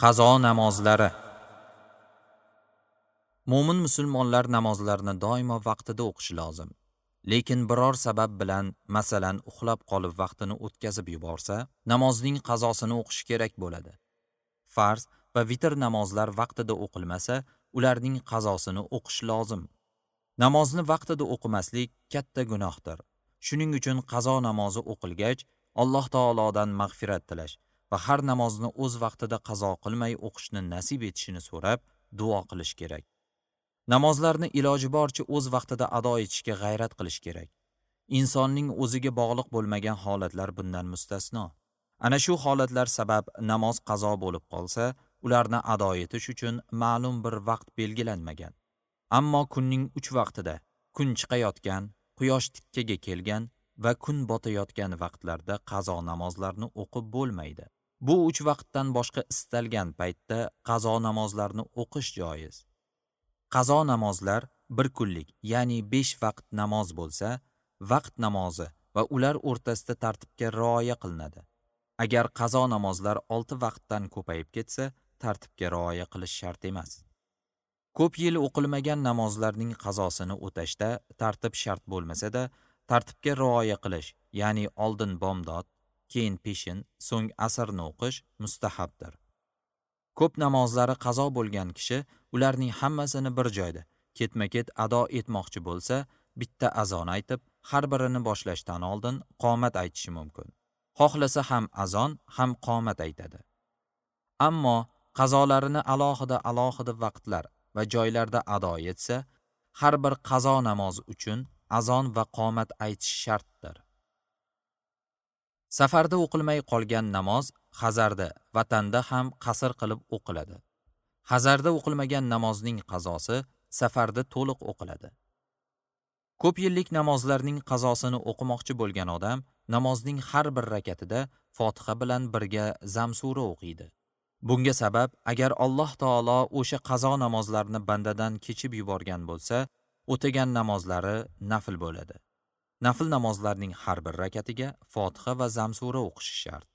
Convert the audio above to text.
Qazo namozlari. Mo'min musulmonlar namozlarni doimo vaqtida o'qishi lozim. Lekin biror sabab bilan, masalan, uxlab qolib vaqtini o'tkazib yuborsa, namozning qazosini o'qishi kerak bo'ladi. Farz va vitr namozlar vaqtida o'qilmasa, ularning qazosini o'qish lozim. Namozni vaqtida o'qimaslik katta gunohdir. Shuning uchun qazo namozi o'qilgach, Alloh taolodan mag'firat tilash va har namozni o'z vaqtida qazo qilmay o'qishni nasib etishini so'rab duo qilish kerak. Namozlarni iloji boricha o'z vaqtida ado etishga g'ayrat qilish kerak. Insonning o'ziga bog'liq bo'lmagan holatlar bundan mustasno. Ana shu holatlar sabab namoz qazo bo'lib qolsa, ularni ado etish uchun ma'lum bir vaqt belgilanmagan. Ammo kunning 3 vaqtida, kun chiqayotgan, quyosh tikkaga kelgan va kun botayotgan vaqtlarda qazo namozlarni o'qib bo'lmaydi. Bu 3 vaqtdan boshqa istalgan paytda qazo namozlarni o'qish joiz. Qazo namozlar bir kunlik, ya'ni 5 vaqt namoz bo'lsa, vaqt namozi va ular o'rtasida tartibga rioya qilinadi. Agar qazo namozlar 6 vaqtdan ko'payib ketsa, tartibga rioya qilish shart emas. Ko'p yil o'qilmagan namozlarning qazosini o'tashda tartib shart bo'lmasa-da, tartibga rioya qilish, ya'ni oldin bomdod, keyin peshin, so'ng asrni o'qish mustahabdir. Ko'p namozlari qazo bo'lgan kishi ularning hammasini bir joyda ketma-ket ado etmoqchi bo'lsa, bitta azon aytib, har birini boshlashdan oldin qomat aytishi mumkin. Xohlasa ham azon, ham qomat aytadi. Ammo qazolarini alohida-alohida vaqtlar va joylarda ado etsa, har bir qazo namozi uchun azon va qomat aytish shartdir. Safarda o'qilmay qolgan namoz hazarda, vatanda ham qasr qilib o'qiladi. Hazarda o'qilmagan namozning qazosi safarda to'liq o'qiladi. Ko'p yillik namozlarning qazosini o'qimoqchi bo'lgan odam namozning har bir rakatida Fotiha bilan birga zam sura o'qiydi. Bunga sabab, agar Alloh taolo o'sha qazo namozlarni bandadan kechib yuborgan bo'lsa, o'tagan namozlari nafl bo'ladi. Nafl namozlarning har bir rakatiga Fotiha va zam sura o'qishi shart.